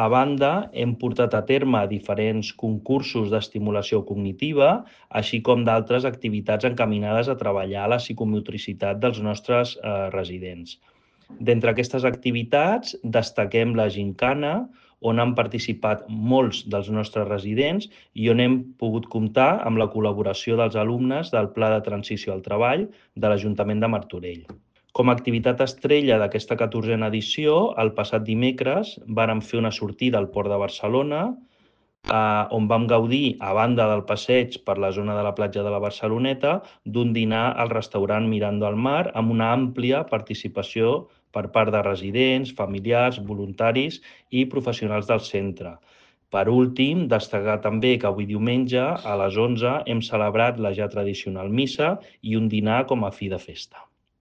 A banda, hem portat a terme diferents concursos d'estimulació cognitiva, així com d'altres activitats encaminades a treballar la psicomotricitat dels nostres residents. D'entre aquestes activitats, destaquem la gincana, on han participat molts dels nostres residents i on hem pogut comptar amb la col·laboració dels alumnes del Pla de Transició al Treball de l'Ajuntament de Martorell. Com a activitat estrella d'aquesta 14a edició, el passat dimecres vàrem fer una sortida al Port de Barcelona, on vam gaudir, a banda del passeig per la zona de la platja de la Barceloneta, d'un dinar al restaurant Mirando al Mar amb una àmplia participació per part de residents, familiars, voluntaris i professionals del centre. Per últim, destacar també que avui diumenge a les 11 hem celebrat la ja tradicional missa i un dinar com a fi de festa.